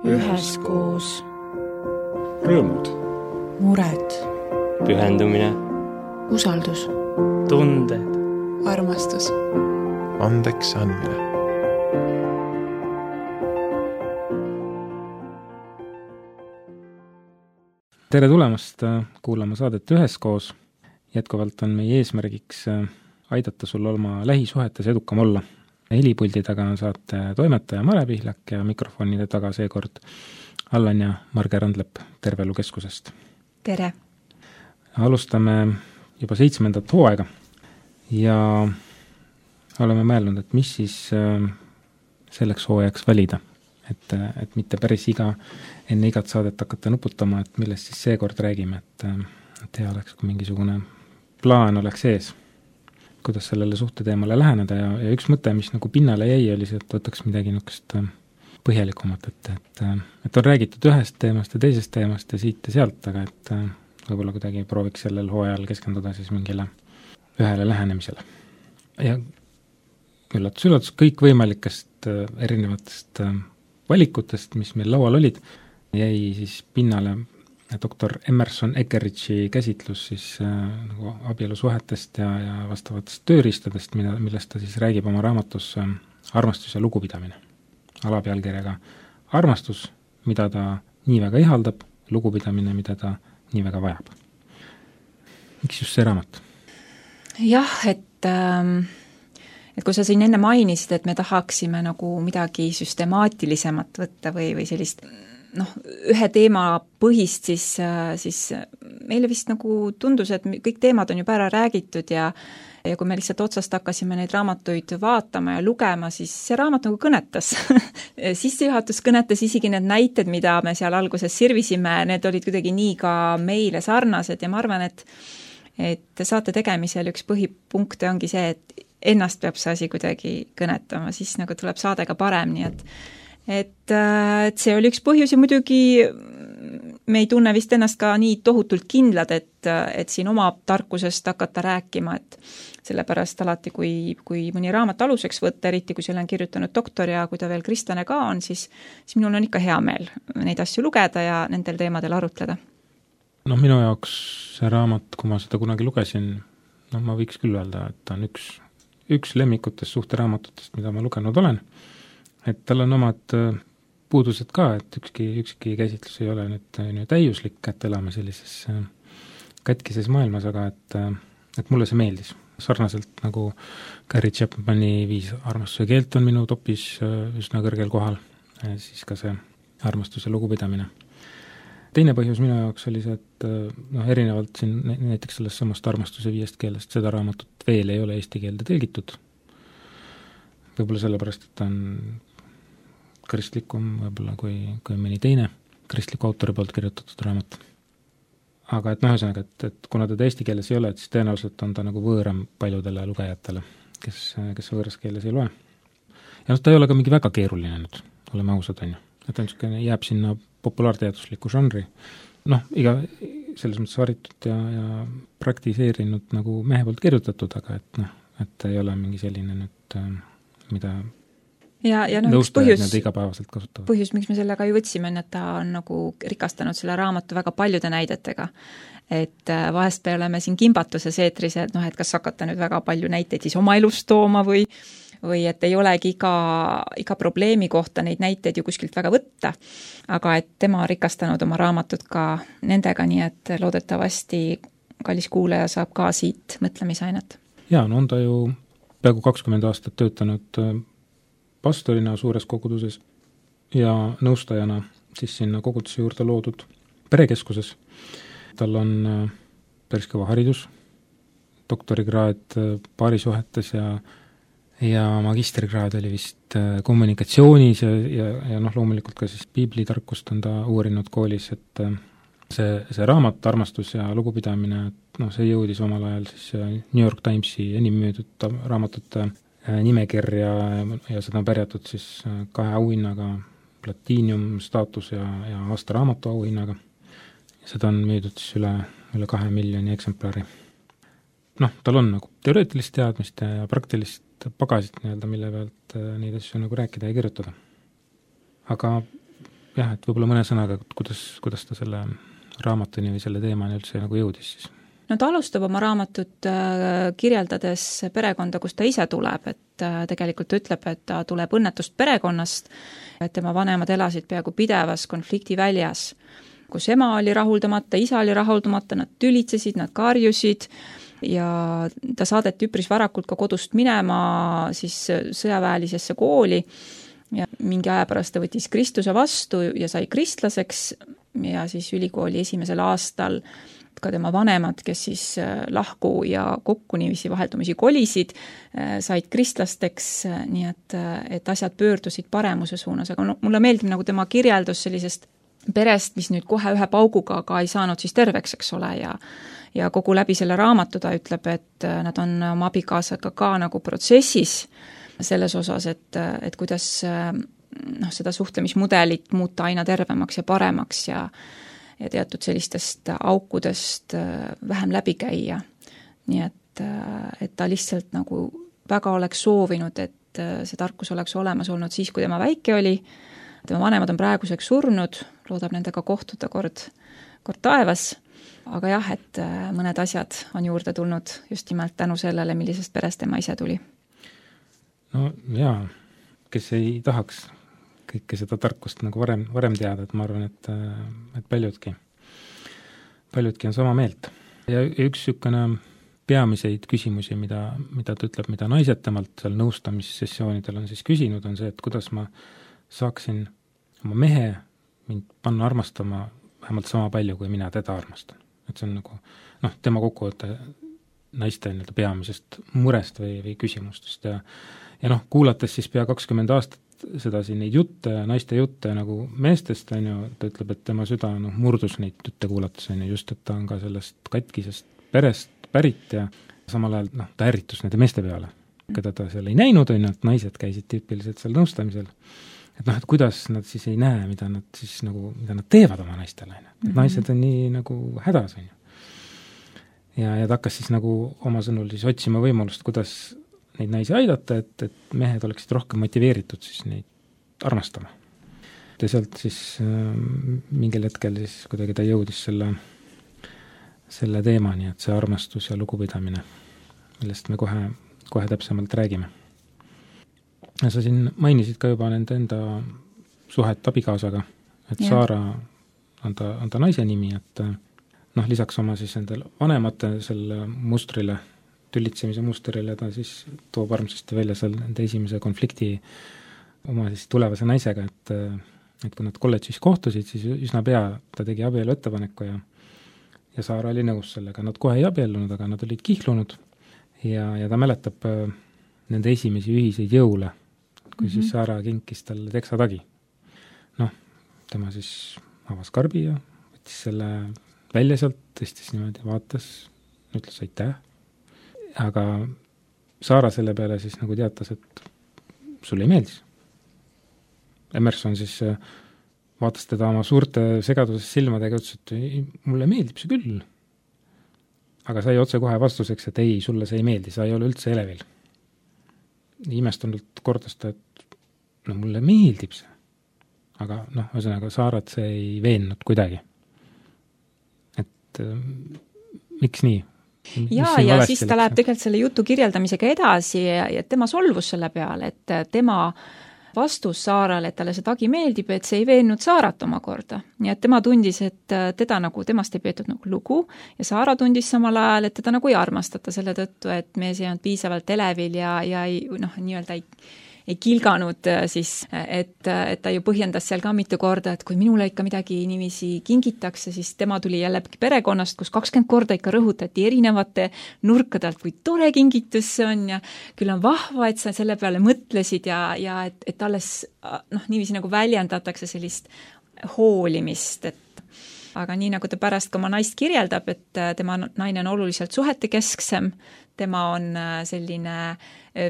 üheskoos. Rõõmud. Mured. Pühendumine. Usaldus. Tunded. Armastus. Andeks andmine. Tere tulemast kuulama saadet Üheskoos. Jätkuvalt on meie eesmärgiks aidata sul oma lähisuhetes edukam olla. Helipuldi taga on saate toimetaja Mare Pihlak ja mikrofonide taga seekord Allan ja Marge Randlepp Tervelukeskusest. Tere! Alustame juba 7. hooaega ja oleme mõelnud, et mis siis selleks hooajaks valida. Et mitte päris enne igat saadet hakata nuputama, et millest siis seekord räägime, et hea oleks, kui mingisugune plaan oleks ees, kuidas sellele suhteteemale läheneda ja üks mõte, mis nagu pinnale jäi, oli see, et võtaks midagi niisugust põhjalikumat, et on räägitud ühest teemast ja teisest teemast ja siit ja sealt, aga et võib-olla kuidagi prooviks sellel hooajal keskenduda siis mingile ühele lähenemisele. Ja üllatus, kõik võimalikest erinevatest valikutest, mis meil laual olid, jäi siis pinnale doktor Emerson Eckeridge'i käsitlus siis nagu abielusuhetest ja vastavatest tööriistadest, millest ta siis räägib oma raamatus Armastus ja lugupidamine. Alapealkirjaga armastus, mida ta nii väga ihaldab, lugupidamine, mida ta nii väga vajab. Miks just see raamat? Jah, et kui sa siin enne mainisid, et me tahaksime nagu midagi süstemaatilisemat võtta või sellist ühe teema põhist, siis meile vist nagu tundus, et kõik teemad on juba ära räägitud ja kui me lihtsalt otsast hakkasime neid raamatuid vaatama ja lugema, siis see raamat nagu kõnetas. Sissejuhatus kõnetas, isegi need näited, mida me seal alguses sirvisime, need olid kuidagi nii ka meile sarnased ja ma arvan, et saate tegemisel üks põhipunkte ongi see, et ennast peab see asi kuidagi kõnetama, siis nagu tuleb saade ka parem, nii et see oli üks põhjus ja muidugi me ei tunne vist ennast ka nii tohutult kindlad, et siin oma tarkusest hakata rääkima, et sellepärast alati, kui mõni raamat aluseks võtta, eriti kui selle on kirjutanud doktor ja kui ta veel kristlane ka on, siis minul on ikka hea meel neid asju lugeda ja nendel teemadel arutleda. Minu jaoks see raamat, kui ma seda kunagi lugesin, ma võiks küll öelda, et ta on üks lemmikutest suhteraamatutest, mida ma lugenud olen, et tal on omad puudused ka, et ükski käsitlus ei ole nüüd täiuslik, et elame sellises katkises maailmas, aga et mulle see meeldis. Sarnaselt nagu Gary Chapmani 5 armastuse keelt on minu topis üsna kõrgel kohal, siis ka see armastus ja lugupidamine. Teine põhjus minu jaoks oli see, et erinevalt siin näiteks sellest samast armastuse 5 keelest, seda raamatut veel ei ole eesti keelde tõlgitud. Võib-olla sellepärast, et ta on kristlikum võib-olla kui mõni teine kristliku autori poolt kirjutatud raamat. Aga ühesõnaga, et kuna teda eesti keeles ei ole, et siis tõenäoliselt on ta nagu võõram paljudele lugejatele, kes võõras keeles ei loe. Ja ta ei ole ka mingi väga keeruline nüüd, oleme ausad, on ju. Et ta jääb sinna populaarteadusliku žanri. Iga selles mõttes haritud ja praktiseerinud nagu mehe poolt kirjutatud, aga et ei ole mingi selline nüüd, mida nõustajad need igapäevaselt kasutavad. Põhjus, miks me sellega ju võtsime, et ta on nagu rikastanud selle raamatu väga paljude näidetega. Et vahest me oleme siin kimbatuses eetris, et kas hakata nüüd väga palju näiteid siis oma elust tooma või et ei olegi iga probleemi kohta neid näiteid ju kuskilt väga võtta, aga et tema on rikastanud oma raamatut ka nendega, nii et loodetavasti kallis kuulaja saab ka siit mõtlemisainet. Jaa, on ta ju peaaegu 20 aastat töötanud pastorina suures koguduses ja nõustajana siis sinna koguduse juurde loodud perekeskuses. Tal on päris kõva haridus, doktorikraad paarisuhetes ja magistrikraad oli vist kommunikatsioonis ja loomulikult ka siis piiblitarkust on ta uurinud koolis, et see raamat, armastus ja lugupidamine, see jõudis omal ajal siis New York Timesi enim müüdud raamatute nimekirja ja seda on pärjatud siis 2 auhinnaga, platiinium staatus ja aasta raamatu auhinnaga. Seda on müüdud siis üle 2 miljoni eksemplari. Tal on nagu teoreetilist teadmist ja praktilist pagasit, mille pealt neid asju nagu rääkida ja kirjutada. Aga jah, et võib-olla mõne sõnaga, kuidas ta selle raamatuni või selle teemani üldse nagu jõudis siis? No ta alustab oma raamatut kirjeldades perekonda, kus ta ise tuleb, et tegelikult ütleb, et ta tuleb õnnetust perekonnast, et tema vanemad elasid peaaegu pidevas konfliktiväljas, kus ema oli rahuldamata, isa oli rahuldamata, nad tülitsesid, nad karjusid ja ta saadeti üpris varakult ka kodust minema siis sõjaväelisesse kooli ja mingi aja pärast ta võttis Kristuse vastu ja sai kristlaseks ja siis ülikooli esimesel aastal ka tema vanemad, kes siis lahku ja kokku niiviisi vaheldumisi kolisid, said kristlasteks, nii et asjad pöördusid paremuse suunas, aga mulle meeldib nagu tema kirjeldus sellisest perest, mis nüüd kohe ühe pauguga ka ei saanud siis terveks, eks ole, ja kogu läbi selle raamatu ta ütleb, et nad on oma abikaasaga ka nagu protsessis selles osas, et kuidas seda suhtlemismudelit muuta aina tervemaks ja paremaks ja teatud sellistest aukudest vähem läbi käia. Nii et ta lihtsalt nagu väga oleks soovinud, et see tarkus oleks olemas olnud siis, kui tema väike oli. Tema vanemad on praeguseks surnud, loodab nendega kohtuda kord taevas, aga jah, et mõned asjad on juurde tulnud just nimelt tänu sellele, millisest perest tema ise tuli. No jaa, kes ei tahaks kõike seda tarkust nagu varem teada, et ma arvan, et paljudki on sama meelt. Ja üks niisugune peamiseid küsimusi, mida ta ütleb, mida naised temalt seal nõustamissessioonidel on siis küsinud, on see, et kuidas ma saaksin oma mehe mind panna armastama vähemalt sama palju, kui mina teda armastan. Et see on nagu, tema kokkuvõte naiste peamisest murest või küsimustest ja kuulates siis pea 20 aastat seda siin neid jutte, naiste jutte nagu meestest, on ju, ta ütleb, et tema süda murdus neid jutte kuulates, on ju, just, et ta on ka sellest katkisest perest pärit ja samal ajal ta ärritus nende meeste peale, keda ta seal ei näinud, on ju, et naised käisid tüüpiliselt seal nõustamisel. Et kuidas nad siis ei näe, mida nad teevad oma naistele, et naised on nii nagu hädas, on ju. Ja ta hakkas siis nagu oma sõnul siis otsima võimalust, kuidas neid naisi aidata, et mehed oleksid rohkem motiveeritud siis neid armastama. Ja sealt siis mingil hetkel siis kuidagi ta jõudis selle teemani, et see armastus ja lugupidamine, millest me kohe täpsemalt räägime. Ja sa siin mainisid ka juba nende enda suhet abikaasaga, et Saara on ta naise nimi, et lisaks oma siis nendel vanemate selle mustrile, tülitsemise mustrile, ta siis toob armsasti välja seal nende esimese konflikti oma siis tulevase naisega, et kui nad kolledžis kohtusid, siis üsna pea ta tegi abielu ettepaneku ja Saara oli nõus sellega. Nad kohe ei abiellunud, aga nad olid kihlunud ja ta mäletab nende esimesi ühiseid jõule, kui siis Saara kinkis talle teksatagi. Tema siis avas karbi ja võttis selle välja sealt, tõstis niimoodi, vaatas, ütles aitäh. Aga Saara selle peale siis nagu teatas, et sulle ei meeldis. Emerson siis vaatas teda oma suurte segaduses silmadega, ütles, et mulle meeldib see küll. Aga sai otse kohe vastuseks, et ei, sulle see ei meeldi, sa ei ole üldse elevil. Imestunult kordas ta, et mulle meeldib see. Aga ühesõnaga Saarat see ei veennud kuidagi. Et miks nii? Ja siis ta läheb tegelikult selle jutu kirjeldamisega edasi ja tema solvus selle peale, et tema vastus Saarale, et talle see tagi meeldib, et see ei veennud Saarat omakorda. Nii et tema tundis, et temast ei peetud nagu lugu ja Saara tundis samal ajal, et teda nagu ei armastata selle tõttu, et mees ei olnud piisavalt elevil ja nii-öelda ei kilganud siis, et ta ju põhjendas seal ka mitu korda, et kui minule ikka midagi niiviisi kingitakse, siis tema tuli jälle perekonnast, kus 20 korda ikka rõhutati erinevate nurkadelt, kui tore kingitus see on ja küll on vahva, et sa selle peale mõtlesid ja et alles niiviisi nagu väljendatakse sellist hoolimist, aga nii nagu ta pärast ka oma naist kirjeldab, et tema naine on oluliselt suhetekesksem, tema on selline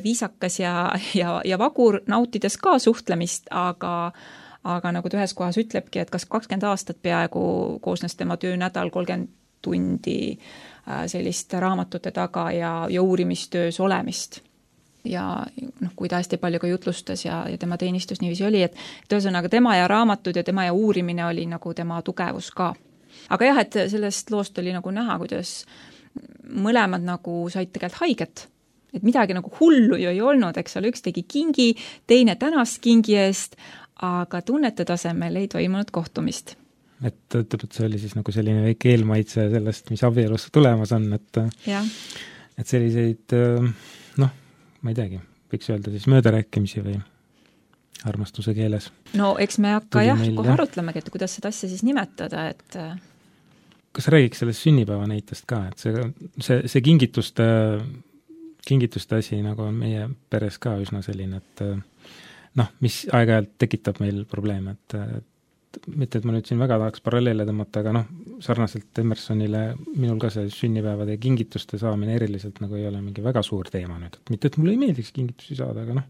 viisakas ja vagur, nautides ka suhtlemist, aga nagu ta ühes kohas ütlebki, et kas 20 aastat peaaegu koosnes tema töönädal 30 tundi sellist raamatute taga ja uurimistöös olemist. ja noh, kui ta hästi palju ka jutlustas ja tema teenistus niiviisi oli, et ühesõnaga tema ja raamatud ja tema ja uurimine oli nagu tema tugevus ka. Aga jah, et sellest loost oli nagu näha, kuidas mõlemad nagu said tegelikult haiget. Et midagi nagu hullu ju ei olnud, eks ole, üks tegi kingi, teine tänas kingi eest, aga tunnete tasemel ei toimunud kohtumist. Et see oli siis nagu selline väike eelmaitse sellest, mis abielus tulemas on, et selliseid, noh, ma ei teagi, võiks öelda siis möödarääkimisi või armastuse keeles. No eks me hakka kohe arutlemegi, et kuidas seda asja siis nimetada, et kas räägiks sellest sünnipäeva näitest ka, et see kingituste asi nagu on meie peres ka üsna selline, et noh, mis aeg-ajalt tekitab meil probleeme, et mitte, et ma nüüd siin väga tahaks paralleele tõmmata, aga noh, sarnaselt Emersonile minul ka see sünnipäevade ja kingituste saamine eriliselt nagu ei ole mingi väga suur teema nüüd, et mitte, et mulle ei meeldiks kingitusi saada, aga noh.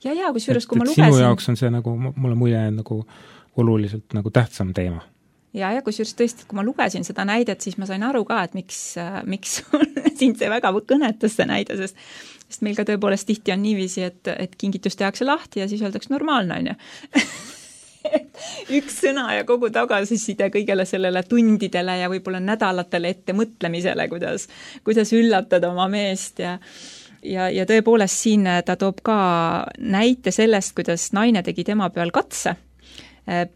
Ja, kusjuures, kui ma lugesin... Sinu jaoks on see nagu, mulle mulje nagu oluliselt nagu tähtsam teema. Ja kusjuures tõesti, kui ma lugesin seda näidet, siis ma sain aru ka, et miks sind see väga kõnetas see näide, sest meil ka tõepoolest tihti on niiviisi, et kingitus tehakse lahti ja siis öeldaks normaalne, on ju. Üks sõna ja kogu tagasiside kõigele sellele tundidele ja võib-olla nädalatele ette mõtlemisele, kuidas üllatada oma meest ja tõepoolest siin ta toob ka näite sellest, kuidas naine tegi tema peal katse,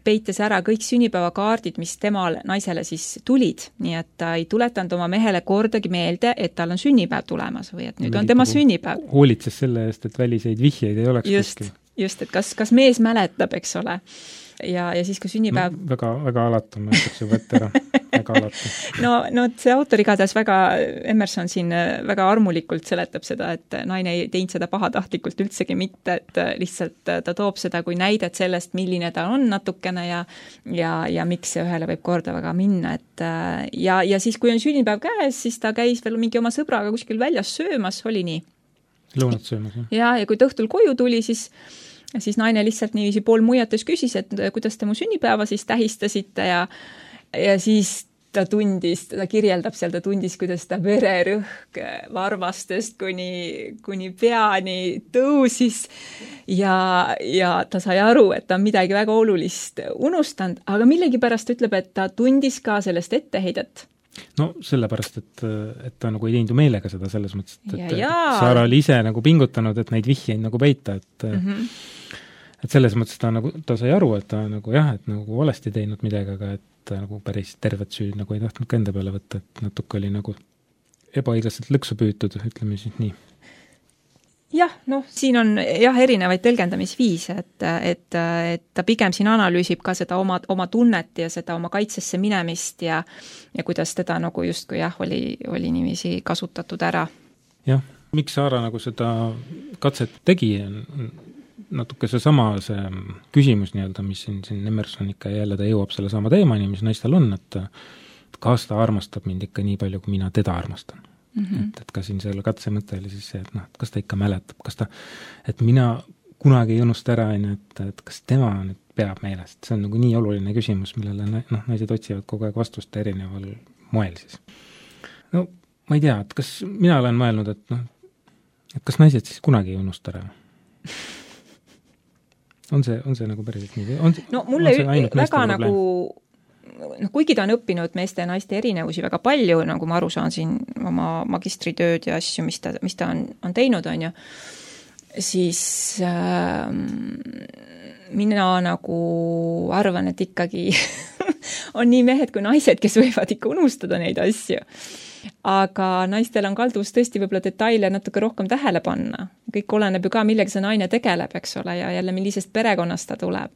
peites ära kõik sünnipäevakaardid, mis temal naisele siis tulid, nii et ta ei tuletanud oma mehele kordagi meelde, et tal on sünnipäev tulemas või et nüüd on tema sünnipäev. Hoolitses selle eest, et väliseid vihjeid ei oleks kuskil. Just, et kas mees mäletab, eks ole. Ja siis, kui sünnipäev... No, väga alatu, ma ütleks juba ette ära. Väga alatu. No see autor igatahes väga, Emerson siin väga armulikult seletab seda, et naine ei teinud seda pahatahtlikult üldsegi mitte, et lihtsalt ta toob seda kui näidet sellest, milline ta on natukene ja miks see ühele võib korda väga minna. Ja siis, kui on sünnipäev käes, siis ta käis veel mingi oma sõbraga kuskil väljas söömas, oli nii? Lõunat söömas, jah. Ja kui ta õhtul koju tuli, siis naine lihtsalt niiviisi pool muiates küsis, et kuidas te mu sünnipäeva siis tähistasite ja siis ta kirjeldab seal, ta tundis, kuidas ta vererõhk varvastest kuni peani tõusis ja ta sai aru, et ta on midagi väga olulist unustanud, aga millegipärast ütleb, et ta tundis ka sellest etteheidet. No sellepärast, et ta nagu ei teinud ju meelega seda selles mõttes, et Saara oli ise nagu pingutanud, et neid vihjeid nagu peita, et selles mõttes ta sai aru, et ta nagu jah, et nagu valesti teinud midagi, aga et ta nagu päris tervet süüd nagu ei tahtnud ka enda peale võtta, et natuke oli nagu ebaõiglaselt lõksu püütud, ütleme siis nii. Jah, siin on erinevaid tõlgendamisviise, et ta pigem siin analüüsib ka seda oma tunnet ja seda oma kaitsesse minemist ja kuidas teda nagu justkui oli niiviisi kasutatud ära. Jah, miks Saara nagu seda katset tegi, natuke see küsimus nii-öelda, mis siin Emerson ikka jälle ta jõuab selle sama teemani, mis naistel on, et kas ta armastab mind ikka nii palju, kui mina teda armastan. Et ka siin selle katse mõte oli siis see, et kas ta ikka mäletab, et mina kunagi ei unusta ära, et kas tema nüüd peab meelest. See on nagu nii oluline küsimus, millele naised otsivad kogu aeg vastust erineval moel siis. No ma ei tea, et kas mina olen mõelnud, et kas naised siis kunagi ei unusta ära? On see nagu päriselt nii? Mulle väga nagu kuigi ta on õppinud meeste ja naiste erinevusi väga palju, nagu ma aru saan siin oma magistritööd ja asju, mis ta on teinud, on ju, siis mina nagu arvan, et ikkagi on nii mehed kui naised, kes võivad ikka unustada neid asju. Aga naistel on kalduvus tõesti võib-olla detaile natuke rohkem tähele panna. Kõik oleneb ju ka, millega see naine tegeleb, eks ole, ja jälle millisest perekonnast ta tuleb.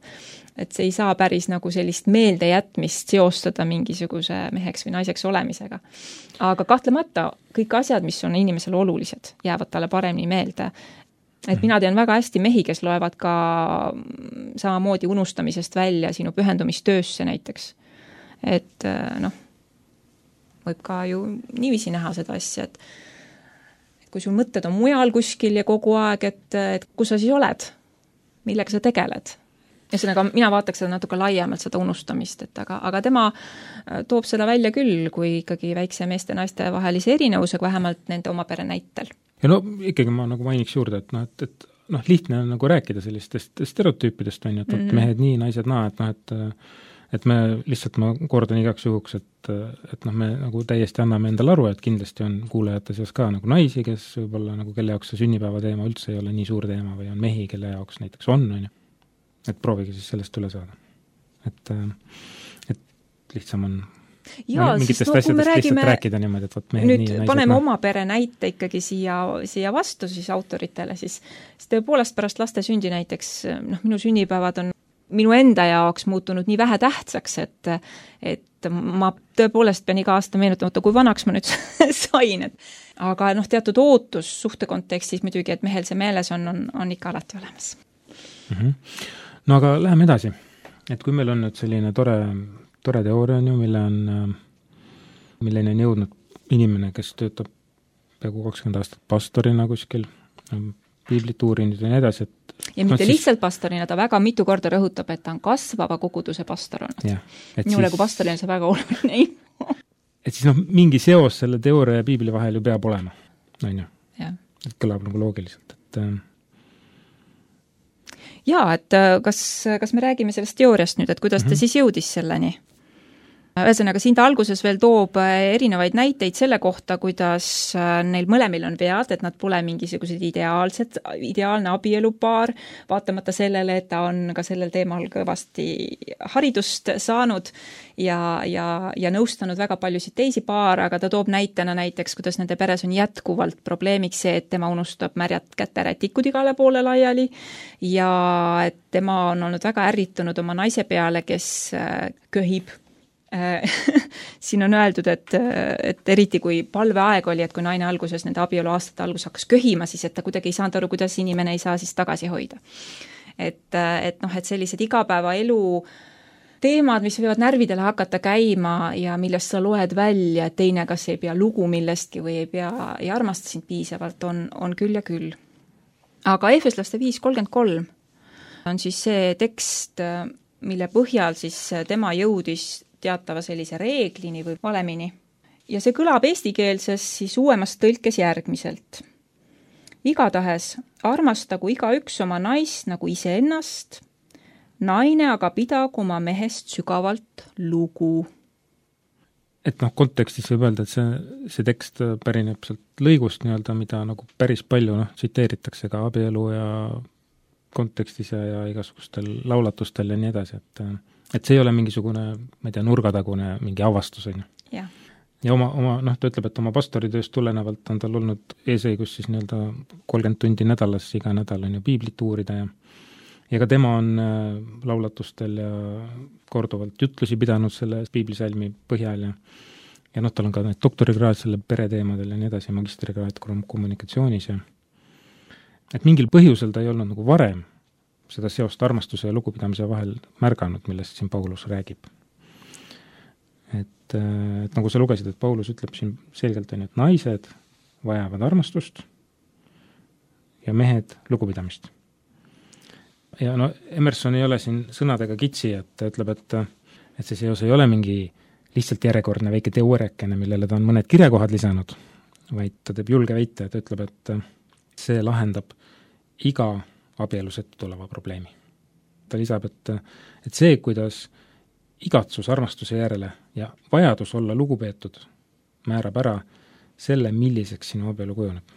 Et see ei saa päris nagu sellist meeldejätmist seostada mingisuguse meheks või naiseks olemisega. Aga kahtlemata kõik asjad, mis on inimesele olulised, jäävad talle paremini meelde. Et mina tean väga hästi mehi, kes loevad ka samamoodi unustamisest välja sinu pühendumistöösse näiteks. Et võib ka ju niiviisi näha seda asja, et kui sul mõtted on mujal kuskil ja kogu aeg, et kus sa siis oled, millega sa tegeled. Ja mina vaataks seda natuke laiemalt seda unustamist, aga tema toob seda välja küll, kui ikkagi väikse meeste ja naiste vahelise erinevusega vähemalt nende oma pere näitel. ja no ikkagi ma nagu mainiks juurde, et lihtne on nagu rääkida sellistest stereotüüpidest, on ju, et mehed nii, naised naa, et me lihtsalt, ma kordan igaks juhuks, et me nagu täiesti anname endale aru, et kindlasti on kuulajate seas ka nagu naisi, kes võib-olla nagu kelle jaoks see sünnipäeva teema üldse ei ole nii suur teema või on mehi, kelle jaoks näiteks on ju. Et proovige siis sellest üle saada. Et lihtsam on mingitest asjadest lihtsalt rääkida niimoodi, et võt mehed nüüd nii ja naised paneme oma pere näite ikkagi siia vastu siis autoritele, siis tõepoolest pärast laste sündi näiteks, minu sünnipäevad on minu enda jaoks muutunud nii vähe tähtsaks, et ma tõepoolest pean iga aasta meenutama, kui vanaks ma nüüd sain, aga teatud ootus suhte kontekstis muidugi, et mehel see meeles on ikka alati olemas. No aga läheme edasi, et kui meil on nüüd selline tore teooria on ju, milleni on jõudnud inimene, kes töötab peaaegu 20 aastat pastorina kuskil, piiblit uurinud ja nii edasi, ja mitte lihtsalt pastorina, ta väga mitu korda rõhutab, et ta on kasvava koguduse pastor olnud. Minule kui pastorina see väga oluline info. Et siis mingi seos selle teooria ja piibli vahel ju peab olema, on ju? Et kõlab nagu loogiliselt, et kas me räägime sellest teooriast nüüd, et kuidas ta siis jõudis selleni? Ühesõnaga, siin ta alguses veel toob erinevaid näiteid selle kohta, kuidas neil mõlemil on vead, et nad pole mingisugused ideaalne abielupaar, vaatamata sellele, et ta on ka sellel teemal kõvasti haridust saanud ja nõustanud väga paljusid teisi paare, aga ta toob näitena näiteks, kuidas nende peres on jätkuvalt probleemiks see, et tema unustab märjad käterätikud igale poole laiali ja et tema on olnud väga ärritunud oma naise peale, kes köhib. Siin on öeldud, et eriti kui palveaeg oli, et kui naine alguses nende abielu aastate algus hakkas köhima, siis et ta kuidagi ei saanud aru, kuidas inimene ei saa siis tagasi hoida. Et sellised igapäevaelu teemad, mis võivad närvidele hakata käima ja millest sa loed välja, et teine kas ei pea lugu millestki või ei armasta sind piisavalt, on küll ja küll. Aga Efeslaste 5:33 on siis see tekst, mille põhjal siis tema jõudis teatava sellise reeglini või valemini. Ja see kõlab eestikeelses siis uuemas tõlkes järgmiselt. Igatahes armastagu igaüks oma naist nagu iseennast, naine aga pidagu oma mehest sügavalt lugu. Et kontekstis võib öelda, et see tekst pärineb sealt lõigust nii-öelda, mida nagu päris palju tsiteeritakse ka abielu ja kontekstis ja igasugustel laulatustel ja nii edasi, et see ei ole mingisugune, ma ei tea, nurgatagune mingi avastus, on ju. Ja oma ta ütleb, et oma pastoritööst tulenevalt on tal olnud eesõigus siis nii-öelda 30 tundi nädalas, iga nädal on ju piiblit uurida ja ka tema on laulatustel ja korduvalt jutlusi pidanud selle piiblisalmi põhjal ja tal on ka need doktorikraad selle pereteemadel ja nii edasi, magistrikraad kommunikatsioonis ja et mingil põhjusel ta ei olnud nagu varem seda seost armastuse ja lugupidamise vahel märganud, millest siin Paulus räägib. Et nagu sa lugesid, et Paulus ütleb siin selgelt on, et naised vajavad armastust ja mehed lugupidamist. Ja Emerson ei ole siin sõnadega kitsi, et ta ütleb, et see seos ei ole mingi lihtsalt järjekordne väike teooriakene, millele ta on mõned kirjakohad lisanud, vaid ta teeb julge väite, et ütleb, et see lahendab iga abielus ette tuleva probleemi. Ta lisab, et see, kuidas igatsus armastuse järele ja vajadus olla lugupeetud määrab ära selle, milliseks sinu abielu kujuneb.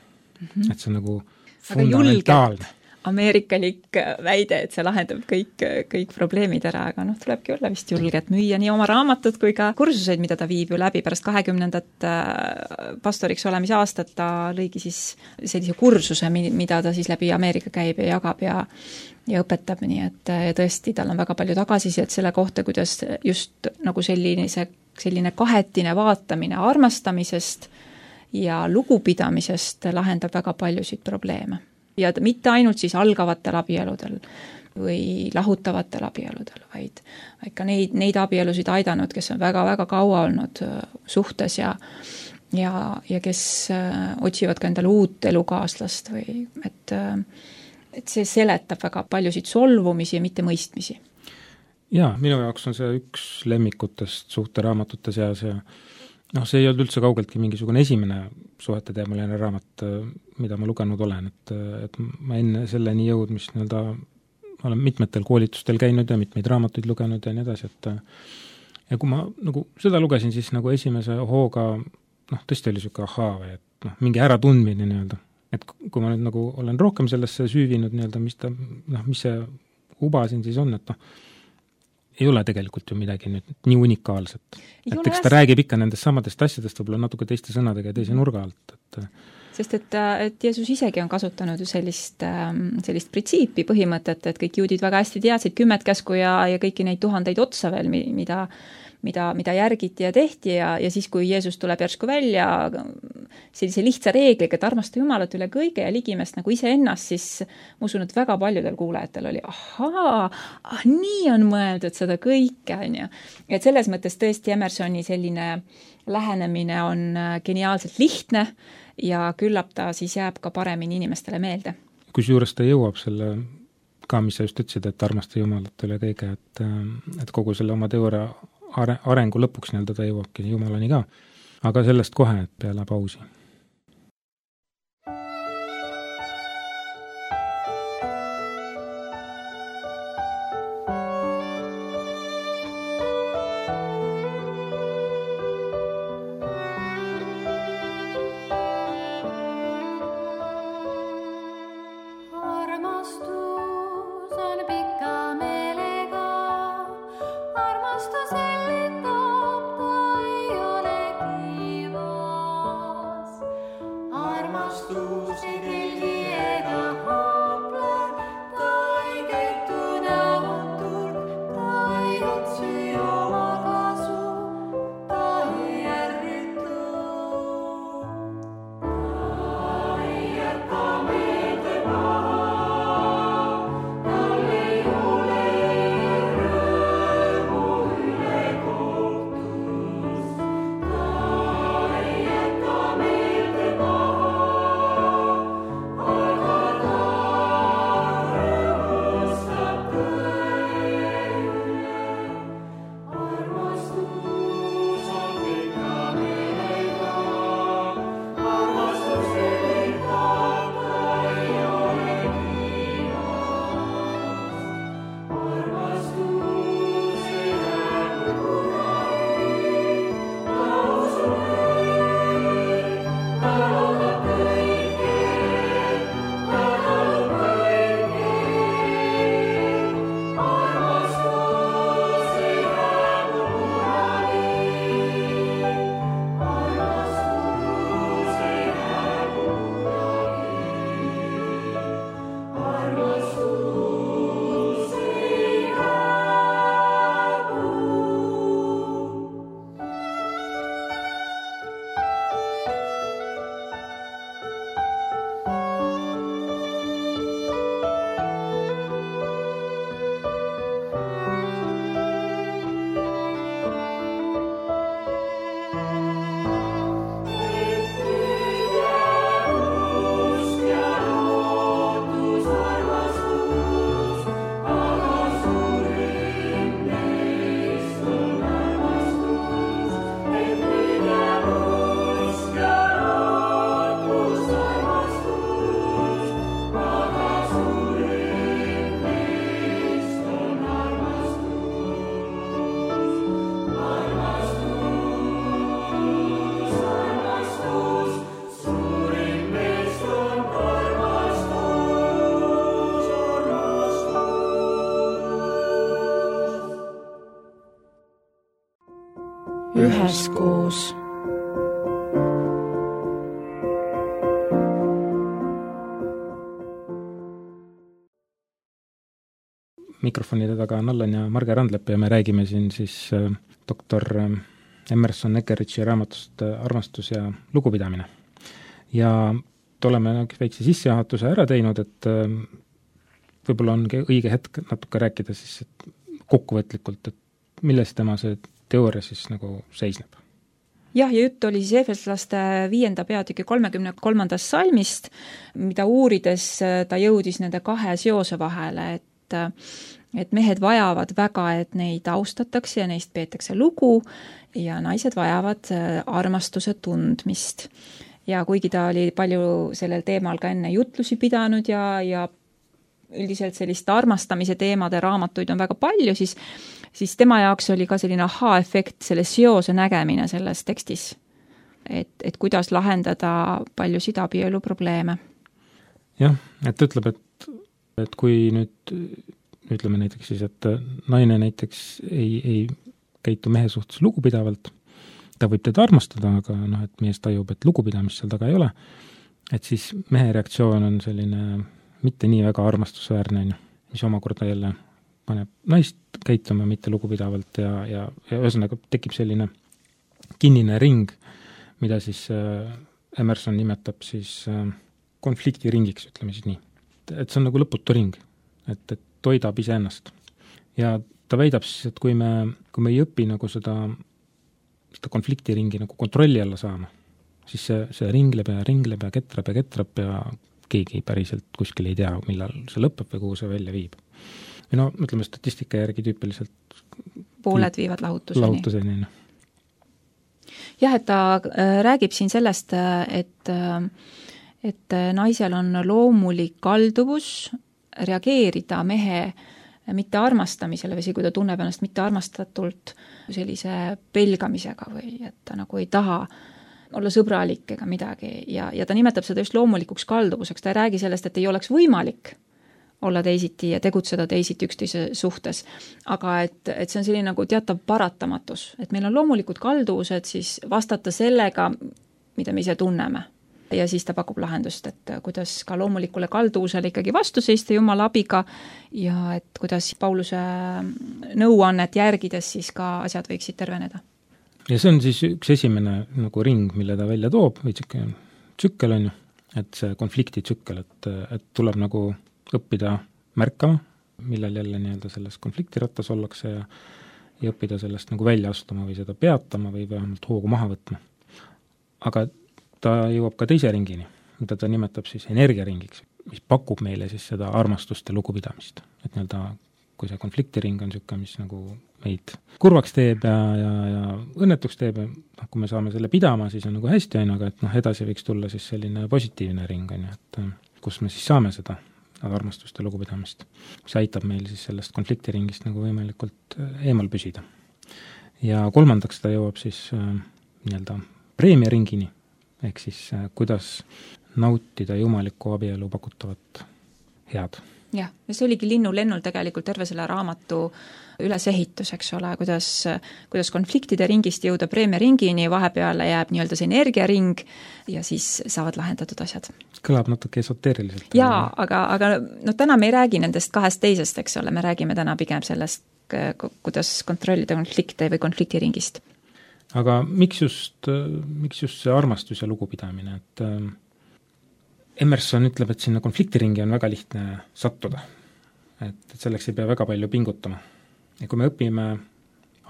Et see on nagu fundamentaalne. Ameerikalik väide, et see lahendab kõik probleemid ära, aga tulebki olla vist julge, et müüa nii oma raamatud kui ka kursuseid, mida ta viib ju läbi pärast 20. pastoriks olemise aastat, ta lõigi siis sellise kursuse, mida ta siis läbi Ameerika käib ja jagab ja õpetab, nii et tõesti, tal on väga palju tagasisidet selle kohta, kuidas just nagu selline kahetine vaatamine armastamisest ja lugupidamisest lahendab väga paljusid probleeme. Ja mitte ainult siis algavatel abieludel või lahutavatel abieludel, vaid ka neid abielusid aidanud, kes on väga-väga kaua olnud suhtes ja kes otsivad ka endale uut elukaaslast või et see seletab väga paljusid solvumisi ja mitte mõistmisi. Jaa, minu jaoks on see üks lemmikutest suhteraamatute seas see ei olnud üldse kaugeltki mingisugune esimene suhete teemaline raamat, mida ma lugenud olen, et ma enne selleni jõudmist nii-öelda olen mitmetel koolitustel käinud ja mitmeid raamatuid lugenud ja nii edasi, et ja kui ma nagu seda lugesin, siis nagu esimese hooga tõesti oli niisugune ahaa või et mingi äratundmine nii-öelda. Et kui ma nüüd nagu olen rohkem sellesse süüvinud nii-öelda, mis see uba siin siis on, et ei ole tegelikult ju midagi nüüd nii unikaalset. Et eks ta räägib ikka nendest samadest asjadest võib-olla natuke teiste sõnadega ja teise nurga alt, et sest et Jeesus isegi on kasutanud ju sellist printsiipi, põhimõtet, et kõik juudid väga hästi teadsid 10 käsku ja kõiki neid 1000 otsa veel, mida järgiti ja tehti ja siis, kui Jeesus tuleb järsku välja sellise lihtsa reegliga, et armasta Jumalat üle kõige ja ligimest nagu iseennast, siis ma usun, et väga paljudel kuulajatel oli, nii on mõeldud seda kõike, on ju. Et selles mõttes tõesti Emersoni selline lähenemine on geniaalselt lihtne ja küllap ta siis jääb ka paremini inimestele meelde. Kusjuures ta jõuab selle ka, mis sa just ütlesid, et armasta Jumalat üle kõige, et kogu selle oma teooria arengu lõpuks nii-öelda ta jõuabki Jumalani ka, aga sellest kohe peale pausi. Üheskoos. Mikrofonide taga on Allan ja Marge Randlepp ja me räägime siin siis doktor Emerson Eckeridge'i raamatust Armastus ja lugupidamine. Ja oleme väikse sissejuhatuse ära teinud, et võib-olla on õige hetk natuke rääkida siis kokkuvõtlikult, et milles tema see teooria siis nagu seisneb. Jah, ja jutt oli siis Efeslaste 5. peatüki 33. salmist, mida uurides ta jõudis nende kahe seose vahele, et mehed vajavad väga, et neid austatakse ja neist peetakse lugu ja naised vajavad armastuse tundmist. Ja kuigi ta oli palju sellel teemal ka enne jutlusi pidanud ja üldiselt sellist armastamise teemade raamatuid on väga palju, siis tema jaoks oli ka selline aha-efekt, selle seose nägemine selles tekstis. Et kuidas lahendada paljusid abielu probleeme. Jah, et ütleb, et kui nüüd ütleme näiteks siis, et naine näiteks ei käitu mehe suhtes lugupidavalt, ta võib teda armastada, aga et mees tajub, et lugupidamist seal taga ei ole, et siis mehe reaktsioon on selline mitte nii väga armastusväärne, mis omakorda jälle paneb naist käituma mitte lugupidavalt ja ühesõnaga tekib selline kinnine ring, mida siis Emerson nimetab siis konfliktiringiks, ütleme siis nii. Et see on nagu lõputu ring, et toidab iseennast. Ja ta väidab siis, et kui me ei õpi nagu seda konfliktiringi nagu kontrolli alla saama, siis see ringleb ja ketrab ja keegi päriselt kuskil ei tea, millal see lõpeb või kuhu see välja viib. Või ütleme statistika järgi tüüpiliselt pooled viivad lahutuseni. Jah, et ta räägib siin sellest, et naisel on loomulik kalduvus reageerida mehe mitte armastamisele või kui ta tunneb ennast mitte armastatult sellise pelgamisega või et ta nagu ei taha olla sõbralik ega midagi ja ta nimetab seda just loomulikuks kalduvuseks, ta ei räägi sellest, et ei oleks võimalik olla teisiti ja tegutseda teisiti üksteise suhtes, aga et see on selline nagu teatav paratamatus, et meil on loomulikud kalduvused siis vastata sellega, mida me ise tunneme. Ja siis ta pakub lahendust, et kuidas ka loomulikule kalduvusele ikkagi vastu seista Jumala abiga ja et kuidas Pauluse nõuannet järgides siis ka asjad võiksid terveneda. Ja see on siis üks esimene nagu ring, mille ta välja toob, või tsükkel on ju, et see konflikti tsükkel, et tuleb nagu õppida märkama, millal jälle nii-öelda selles konfliktirattas ollakse ja õppida sellest nagu välja astuma või seda peatama või vähemalt hoogu maha võtma. Aga ta jõuab ka teise ringini, mida ta nimetab siis energiaringiks, mis pakub meile siis seda armastust ja lugupidamist. Et nii-öelda, kui see konfliktiring on niisugune, mis nagu meid kurvaks teeb ja õnnetuks teeb, ja kui me saame selle pidama, siis on nagu hästi, aga et edasi võiks tulla siis selline positiivne ring, et kus me siis saame seda armastust ja lugupidamist. See aitab meil siis sellest konfliktiringist nagu võimalikult eemal püsida. Ja kolmandaks ta jõuab siis nii-öelda preemiaringini, ehk siis kuidas nautida jumalikku abielu pakutavat head. Jah, ja see oligi linnulennul tegelikult terve selle raamatu ülesehitus, eks ole, kuidas konfliktide ringist jõuda preemiaringini, vahepeale jääb nii-öelda see energiaring ja siis saavad lahendatud asjad. Kõlab natuke esoteeriliselt. Jaa, aga täna me ei räägi nendest kahest teisest, eks ole, me räägime täna pigem sellest, kuidas kontrollida konflikte või konfliktiringist. Aga miks just see armastus ja lugupidamine, et Emerson ütleb, et sinna konfliktiringi on väga lihtne sattuda, et selleks ei pea väga palju pingutama. Ja kui me õpime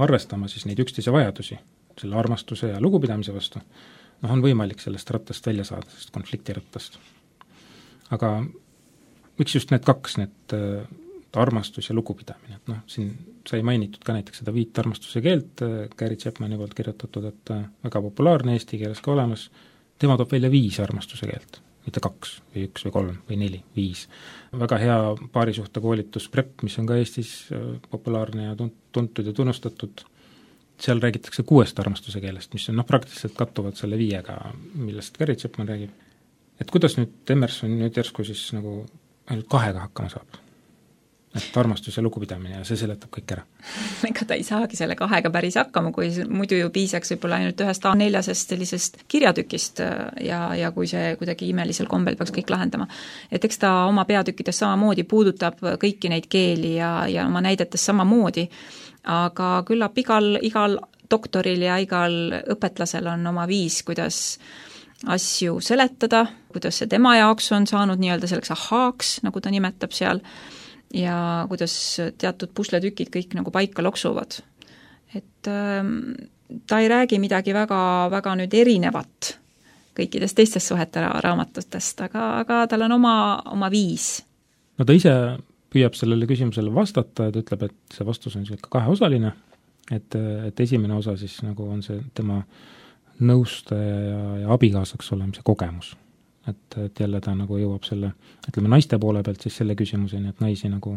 arvestama siis neid üksteise vajadusi, selle armastuse ja lugupidamise vastu, on võimalik sellest rattast välja saada, sellest konfliktirattast. Aga miks just need kaks, need armastus ja lugupidamine, et siin sai mainitud ka näiteks seda 5 armastuse keelt, Gary Chapmani poolt kirjutatud, et väga populaarne eesti keeles ka olemas, tema toob välja 5 armastuse keelt, mitte 2 või 1 või 3 või 4, 5. Väga hea paarisuhte koolitus PREP, mis on ka Eestis populaarne ja tuntud ja tunnustatud, seal räägitakse 6 armastuse keelest, mis on praktiliselt kattuvad selle 5-ga, millest Gary Chapman räägib. Et kuidas nüüd Emerson nüüd järsku siis nagu ainult 2-ga hakkama saab? Et armastus ja lugupidamine ja see seletab kõik ära. Ega ta ei saagi selle 2-ga päris hakkama, kui muidu ju piisaks võib-olla ainult 1 A4-sest sellisest kirjatükist ja kui see kuidagi imelisel kombel peaks kõik lahendama. Et eks ta oma peatükkides samamoodi puudutab kõiki neid keeli ja oma näidetes samamoodi, aga küllap igal doktoril ja igal õpetlasel on oma viis, kuidas asju seletada, kuidas see tema jaoks on saanud nii-öelda selleks ahaaks, nagu ta nimetab seal, ja kuidas teatud pusletükid kõik nagu paika loksuvad. Et ta ei räägi midagi väga, väga nüüd erinevat kõikidest teistest suhete raamatutest, aga tal on oma viis. No ta ise püüab sellele küsimusele vastata, et ütleb, et see vastus on selline kaheosaline, et esimene osa siis nagu on see tema nõustaja ja abikaasaks olemise kogemus. Et jälle ta nagu jõuab selle, ütleme naiste poole pealt siis selle küsimuseni, et naisi nagu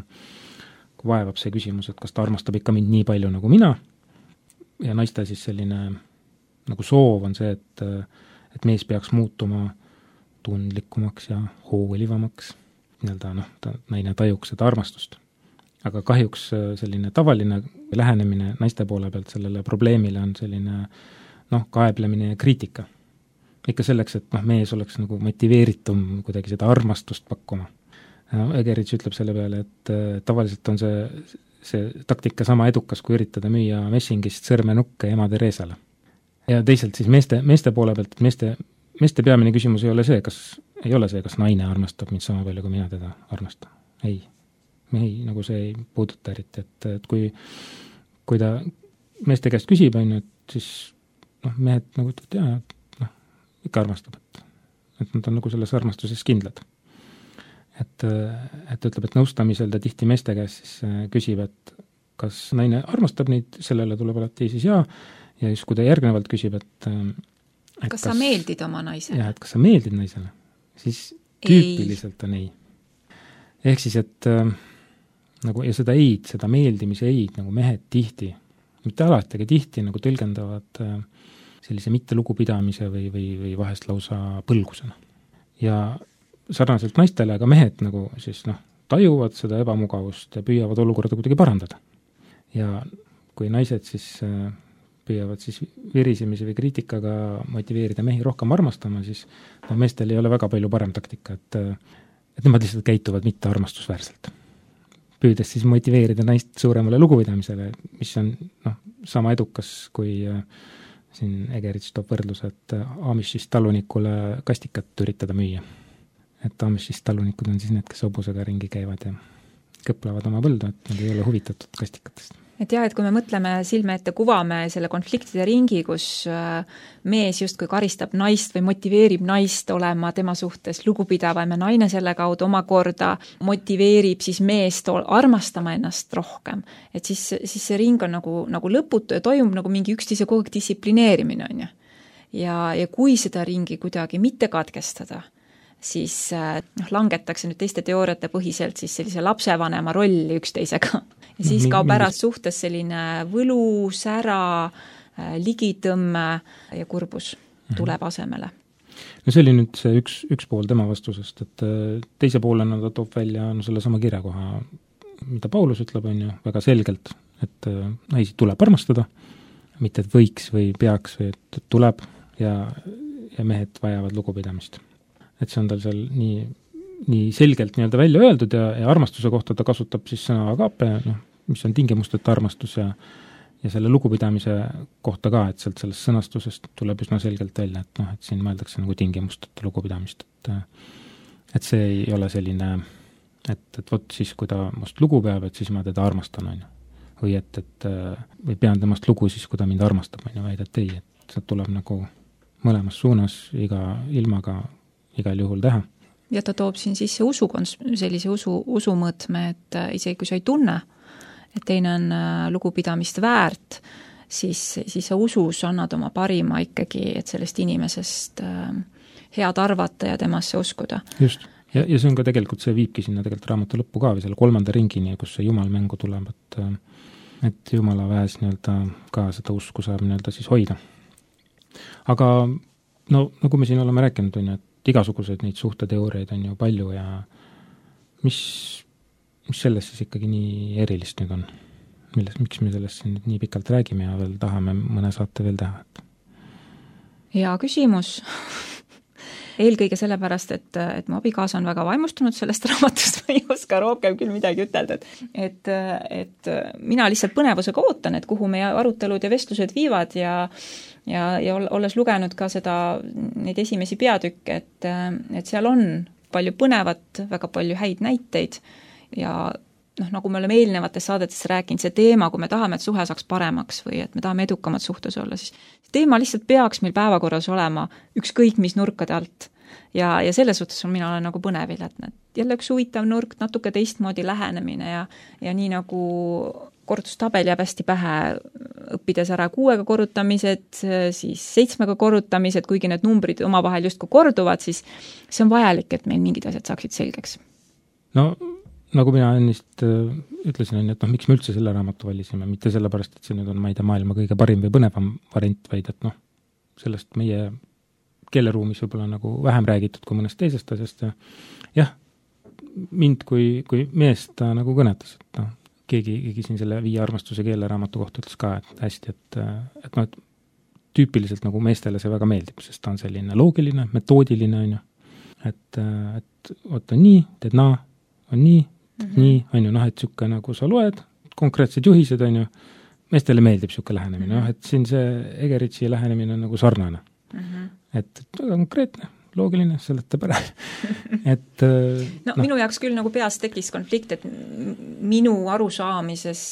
vaevab see küsimus, et kas ta armastab ikka mind nii palju nagu mina, ja naiste siis selline nagu soov on see, et mees peaks muutuma tundlikumaks ja hoolivamaks, naine tajuks seda armastust. Aga kahjuks selline tavaline lähenemine naiste poole pealt sellele probleemile on selline kaeblemine ja kriitika. Ikka selleks, et mees oleks nagu motiveeritum kuidagi seda armastust pakkuma. Egerich ütleb selle peale, et tavaliselt on see taktika sama edukas, kui üritada müüa messingist sõrmenukke ema Teresale. Ja teisalt siis meeste poole pealt, et meeste peamine küsimus ei ole see, kas naine armastab mind sama palju, kui mina teda armastan. Ei, nagu see ei puuduta eriti, et kui ta meeste käest küsib, et siis mehed nagu ütlevad, ikka armastab, et nad on nagu selles armastuses kindlad. Et ütleb, et nõustamisel ta tihti meeste käest siis küsib, et kas naine armastab neid, sellele tuleb alati siis ja siis kui ta järgnevalt küsib, et kas sa meeldid oma naisele? Jah, et kas sa meeldid naisele, siis tüüpiliselt on ei. Ehk siis, et nagu, ja seda eid, seda meeldimise eid nagu mehed tihti, mitte alati, aga tihti nagu tõlgendavad sellise mitte lugupidamise või vahest lausa põlgusena. Ja sarnaselt naistele, aga mehed nagu siis tajuvad seda ebamugavust ja püüavad olukorda kuidagi parandada. Ja kui naised siis püüavad siis virisemisi või kriitikaga motiveerida mehi rohkem armastama, siis meestel ei ole väga palju parem taktika, et nemad lihtsalt käituvad mitte armastusväärselt. Püüdes siis motiveerida naist suuremale lugupidamisele, mis on sama edukas, kui siin Egerich toob võrdluse, et Amishist talunikule kastikat üritada müüa. Et Amishist talunikud on siis need, kes hobusega ringi käivad ja kõplevad oma põldu, et nad ei ole huvitatud kastikatest. Et jah, et kui me mõtleme silme ette, kuvame selle konfliktide ringi, kus mees justkui karistab naist või motiveerib naist olema tema suhtes lugupidavam ja naine selle kaudu omakorda motiveerib siis meest armastama ennast rohkem. Et siis see ring on nagu lõputu ja toimub nagu mingi üksteise kogu aeg distsiplineerimine on ju. Ja kui seda ringi kuidagi mitte katkestada, siis langetakse nüüd teiste teooriate põhiselt siis sellise lapsevanema rolli üksteisega. Ja siis kaob ära suhtes selline võlu, sära, ligitõmme ja kurbus tuleb asemele. No see oli nüüd see üks pool tema vastusest, et teise poolena ta toob välja selle sama kirjakoha, mida Paulus ütleb, on ju, väga selgelt, et naisi tuleb armastada, mitte et võiks või peaks, või et tuleb ja mehed vajavad lugupidamist. Et see on tal seal nii selgelt nii-öelda välja öeldud ja armastuse kohta ta kasutab siis sõna agape, mis on tingimusteta armastus ja selle lugupidamise kohta ka, et sellest sõnastusest tuleb üsna selgelt välja, et siin mõeldakse nagu tingimusteta lugupidamist, et see ei ole selline, et vot siis, kui ta must lugu peab, et siis ma teda armastan, on ju. Või või pean temast lugu siis, kui ta mind armastab, on ju, vaid et ei, et see tuleb nagu mõlemas suunas iga ilmaga igal juhul teha. Ja ta toob siin sisse sellise usumõõtme, et isegi kui sa ei tunne, et teine on lugupidamist väärt, siis sa usus annad oma parima ikkagi, et sellest inimesest head arvata ja temasse uskuda. Just. Ja see on ka tegelikult, see viibki sinna tegelikult raamatu lõppu ka või selle 3. ringini, kus see Jumal mängu tuleb, et Jumala väes nii-öelda ka seda usku saab nii-öelda siis hoida. Aga nagu me siin oleme rääkinud, on ju, et igasuguseid neid suhteteooriaid on ju palju ja mis sellest siis ikkagi nii erilist nüüd on? Miks me sellest siin nii pikalt räägime ja veel tahame mõne saate veel teha? Hea küsimus. Eelkõige sellepärast, et mu abikaasa on väga vaimustunud sellest raamatust, ma ei oska rohkem küll midagi ütelda, et mina lihtsalt põnevusega ootan, et kuhu meie arutelud ja vestlused viivad ja olles lugenud ka neid esimesi peatükke, et seal on palju põnevat, väga palju häid näiteid ja nagu me oleme eelnevates saadetes rääkinud, see teema, kui me tahame, et suhe saaks paremaks või et me tahame edukamad suhtes olla, siis teema lihtsalt peaks meil päevakorras olema ükskõik mis nurkade alt. Ja selles suhtes mina olen nagu põnevil, et jälle üks huvitav nurk, natuke teistmoodi lähenemine ja nii nagu korrutustabel jääb hästi pähe, õppides ära 6 korrutamised, siis 7 korrutamised, kuigi need numbrid omavahel justkui korduvad, siis see on vajalik, et meil mingid asjad saaksid selgeks. No nagu mina ennist ütlesin, et miks me üldse selle raamatu valisime, mitte sellepärast, et see nüüd on, ma ei tea, maailma kõige parim või põnevam variant, vaid et sellest meie keeleruumis võib-olla nagu vähem räägitud kui mõnest teisest asjast ja jah, mind kui meest ta nagu kõnetas, et keegi siin selle 5 armastuse keeleraamatu kohta ütles ka, et hästi, et tüüpiliselt nagu meestele see väga meeldib, sest ta on selline loogiline, metoodiline, on ju, et oota nii, teed naa, on nii, nii, on ju, et siuke nagu sa loed, konkreetsed juhised, on ju, meestele meeldib siuke lähenemine, et siin see Egeritsi lähenemine on nagu sarnane. Et konkreetne, loogiline, seletab ära. Minu jaoks küll nagu peas tekkis konflikt, et minu arusaamises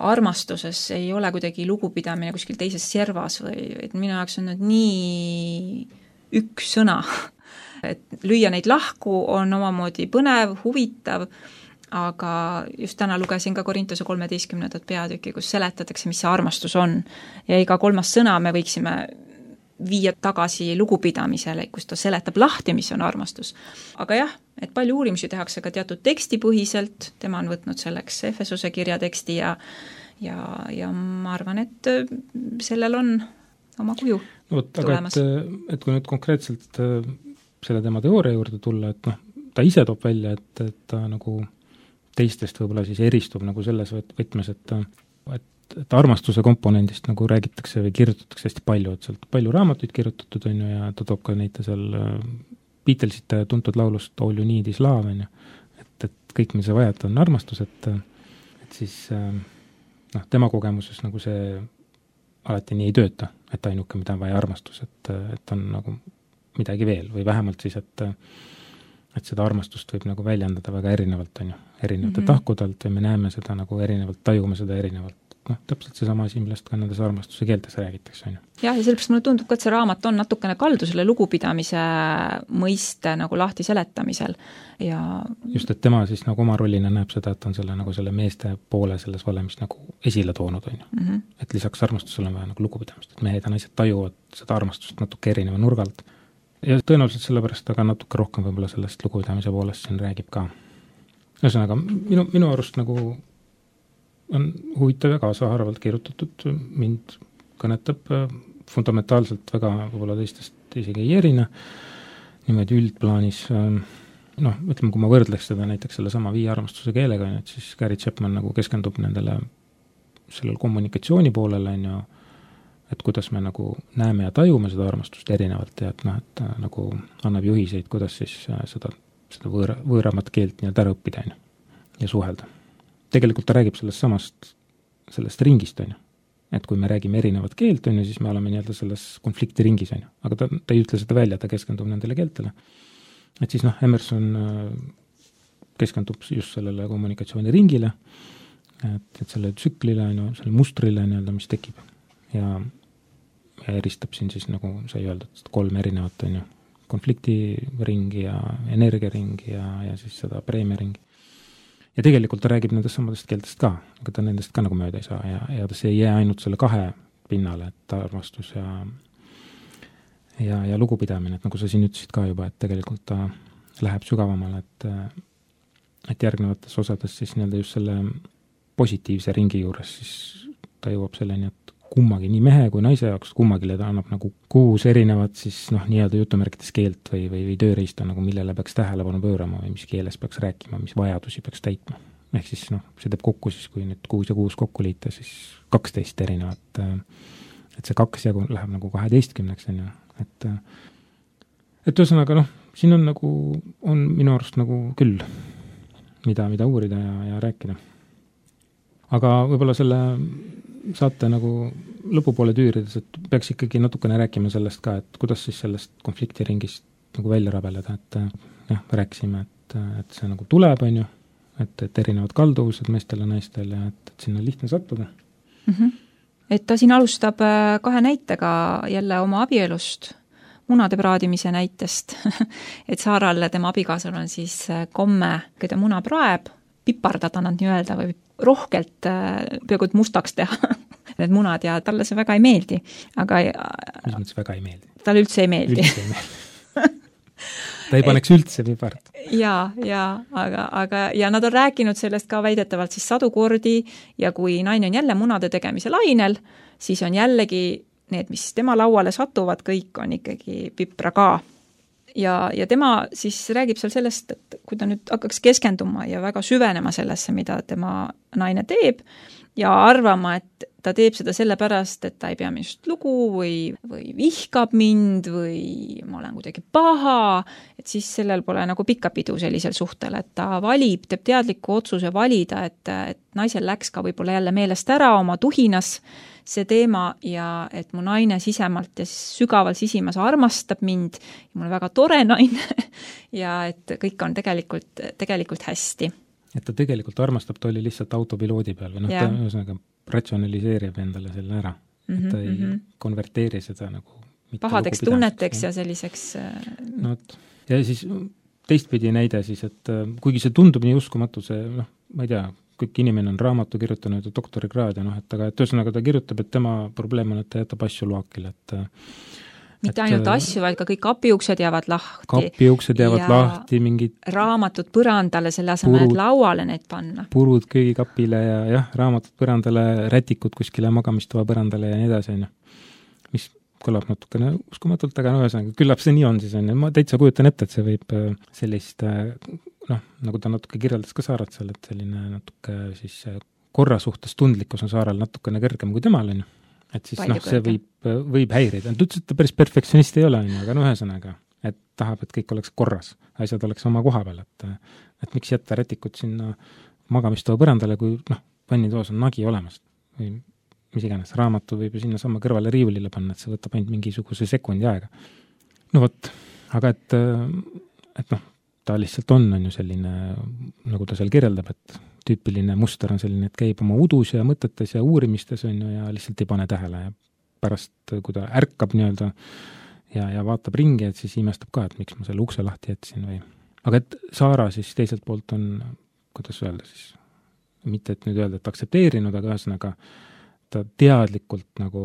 armastuses ei ole kuidagi lugupidamine kuskil teises servas või et minu jaoks on nii üks sõna, et lüüa neid lahku on omamoodi põnev, huvitav, aga just täna lugesin ka Korintuse 13. peatüki, kus seletatakse, mis see armastus on ja iga 3. sõna me võiksime viia tagasi lugupidamisele, kus ta seletab lahti, mis on armastus. Aga jah, et palju uurimusi tehakse ka teatud tekstipõhiselt, tema on võtnud selleks Efesuse kirja teksti ja ma arvan, et sellel on oma kuju tulemas. Et kui nüüd konkreetselt selle tema teooria juurde tulla, et ta ise toob välja, et ta nagu teistest võib-olla siis eristub nagu selles võtmes, et armastuse komponendist nagu räägitakse või kirjutatakse hästi palju, et sealt palju raamatuid kirjutatud on ju ja ta toob ka neid seal Beatlesite tuntud laulust All You Need Is Love on ju, et kõik, mis sa vajad, on armastus, et siis tema kogemuses nagu see alati nii ei tööta, et ainuke, mida on vaja armastus, et on nagu midagi veel või vähemalt siis, et seda armastust võib nagu väljendada väga erinevalt on ju, erinevate tahkudelt või me näeme seda nagu erinevalt, tajume seda erinevalt. Täpselt seesama asi, millest ka nendes armastuse keeltes räägitakse, on ju. Jah, ja sellepärast mulle tundub ka, et see raamat on natukene kaldu selle lugupidamise mõiste nagu lahti seletamisel ja just, et tema siis nagu oma rollina näeb seda, et on selle meeste poole selles valemis nagu esile toonud, on ju. Et lisaks armastusele on vaja nagu lugupidamist, et mehed ja naised tajuvad seda armastust natuke erineva nurgalt ja tõenäoliselt sellepärast aga natuke rohkem võib-olla sellest lugupidamise poolest siin räägib ka. Ühesõnaga, minu arust nagu on huvitav ja kaasaharavalt kirjutatud, mind kõnetab fundamentaalselt väga võib-olla teistest isegi ei erine, niimoodi üldplaanis, ütleme, kui ma võrdleks seda näiteks selle sama 5 armastuse keelega, et siis Gary Chapman nagu keskendub sellel kommunikatsiooni poolele, on ju, et kuidas me nagu näeme ja tajume seda armastust erinevalt ja et nagu annab juhiseid, kuidas siis seda võõramat keelt nii-öelda ära õppida, on ju, ja suhelda. Tegelikult ta räägib sellest ringist, on ju. Et kui me räägime erinevat keelt, on ju, siis me oleme nii-öelda selles konflikti ringis, on ju. Aga ta ei ütle seda välja, ta keskendub nendele keeltele. Et siis Emerson keskendub just sellele kommunikatsiooni ringile, et selle tsüklile, on ju, selle mustrile, nii-öelda, mis tekib. Ja eristab siin siis, nagu sai öeldud, 3 erinevat, on ju, konfliktiringi ja energiaringi ja siis seda preemiaringi. Ja tegelikult ta räägib nendest samadest keeltest ka, aga ta nendest ka nagu mööda ei saa ja see ei jää ainult selle 2 pinnale, et armastus ja lugupidamine, et nagu sa siin ütlesid ka juba, et tegelikult ta läheb sügavamale, et järgnevates osades siis nii-öelda just selle positiivse ringi juures siis ta jõuab selleni, et kummagi, nii mehe kui naise jaoks, kummagile ta annab nagu 6 erinevat siis nii-öelda jutumärkides keelt või tööriista, nagu millele peaks tähelepanu pöörama või mis keeles peaks rääkima, mis vajadusi peaks täitma. Ehk siis see teeb kokku siis, kui nüüd 6 ja 6 kokku liita, siis 12 erinevat, et see 2 jagu läheb nagu 12-ks, on ju, et ühesõnaga siin on nagu, on minu arust nagu küll, mida uurida ja rääkida. Aga võib-olla selle saate nagu lõpupoole tüürides, et peaks ikkagi natukene rääkima sellest ka, et kuidas siis sellest konfliktiringist nagu välja rabeleda, et rääkisime, et see nagu tuleb, on ju, et erinevad kalduvused meestel ja naistel ja et sinna on lihtne sattuda. Et ta siin alustab 2 näitega jälle oma abielust, munade praadimise näitest, et Saarale tema abikaasal on siis komme, kui ta muna praeb, pipardada nad nii-öelda või rohkelt peaaegu et mustaks teha need munad ja talle see väga ei meeldi. Aga mis mõttes väga ei meeldi? Talle üldse ei meeldi. Ta ei paneks üldse pipart. Ja, aga nad on rääkinud sellest ka väidetavalt siis 100 kordi ja kui naine on jälle munade tegemise lainel, siis on jällegi need, mis tema lauale satuvad, kõik on ikkagi pipra ka. Ja tema siis räägib seal sellest, et kui ta nüüd hakkaks keskenduma ja väga süvenema sellesse, mida tema naine teeb ja arvama, et ta teeb seda sellepärast, et ta ei pea minust lugu või vihkab mind või ma olen kuidagi paha, et siis sellel pole nagu pikka pidu sellisel suhtel, et ta teeb teadliku otsuse valida, et naisel läks ka võib-olla jälle meelest ära oma tuhinas see teema ja et mu naine sisemalt ja sügaval sisimas armastab mind ja mul on väga tore naine ja et kõik on tegelikult hästi. Et ta tegelikult armastab, ta oli lihtsalt autopiloodi peal või ta ühesõnaga ratsionaliseerib endale selle ära. Et ta ei konverteeri seda nagu pahadeks tunneteks ja selliseks ja siis teistpidi näide siis, et kuigi see tundub nii uskumatu, see ma ei tea, kõik inimene on raamatu kirjutanud ja doktorikraad ja et ühesõnaga ta kirjutab, et tema probleem on, et ta jätab asju loakile, mitte ainult asju, vaid ka kõik kapiuksed jäävad lahti. Kapiuksed jäävad lahti, mingid raamatud põrandale, selle asemel, et lauale need panna. Purud köögikapile ja raamatud põrandale, rätikud kuskile magamistoa põrandale ja nii edasi, mis kõlab natukene uskumatult, aga ühesõnaga, küllap see nii on siis, ma täitsa kujutan ette, et see võib sellist, nagu ta natuke kirjeldas ka Saarat seal, et selline natuke siis korra suhtes tundlikkus on Saaral natukene kõrgem kui temal, et siis see võib häirida. Ta ütles, et ta päris perfektsionist ei ole, aga ühesõnaga, et tahab, et kõik oleks korras, asjad oleks oma koha peal, et miks jätta rätikud sinna magamistoa põrandale, kui vannitoas on nagi olemas või mis iganes, raamatu võib ju sinna sama kõrvale riiulile panna, et see võtab ainult mingisuguse sekundi aega. Aga et ta lihtsalt on ju selline, nagu ta seal kirjeldab, et tüüpiline muster on selline, et käib oma udus ja mõtetes ja uurimistes ja lihtsalt ei pane tähele ja pärast, kui ta ärkab nii-öelda ja vaatab ringi, et siis imestab ka, et miks ma selle ukse lahti jätsin või. Aga et Saara siis teiselt poolt on, kuidas öelda siis, mitte et nüüd öelda, et aktsepteerinud, aga ühesõnaga ta teadlikult nagu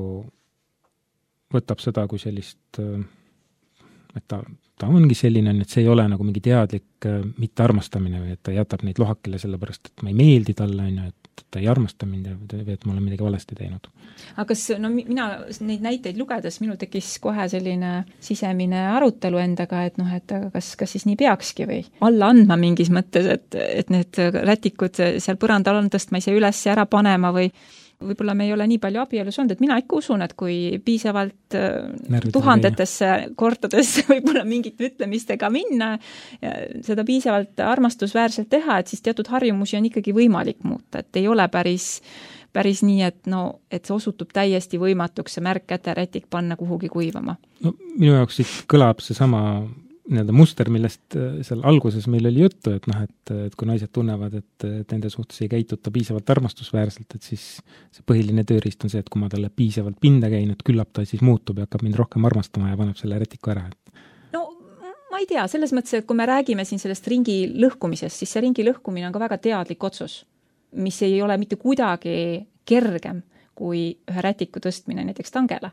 võtab seda kui sellist, et ta ongi selline, et see ei ole nagu mingi teadlik mittearmastamine või et ta jätab neid lohakile sellepärast, et ma ei meeldi talle, et ta ei armasta mind või et ma olen midagi valesti teinud. Aga kas, mina neid näiteid lugedes, minul tekkis kohe selline sisemine arutelu endaga, et et kas siis nii peakski või alla andma mingis mõttes, et need rätikud seal põrandal on tõstma ise üles ja ära panema või võib-olla me ei ole nii palju abielus olnud, et mina ikka usun, et kui piisavalt tuhandetesse kordades võib-olla mingite ütlemistega minna, seda piisavalt armastusväärselt teha, et siis teatud harjumusi on ikkagi võimalik muuta, et ei ole päris nii, et et see osutub täiesti võimatuks see märk käterätik panna kuhugi kuivama. Minu jaoks siit kõlab see sama muster, millest seal alguses meil oli juttu, et kui naised tunnevad, et nende suhtes ei käituta piisavalt armastusväärselt, et siis see põhiline tööriist on see, et kui ma talle piisavalt pinda käin, et küllap ta siis muutub ja hakkab mind rohkem armastama ja paneb selle rätiku ära. Ma ei tea, selles mõttes, et kui me räägime siin sellest ringi lõhkumisest, siis see ringi lõhkumine on ka väga teadlik otsus, mis ei ole mitte kuidagi kergem kui ühe rätiku tõstmine näiteks tangele.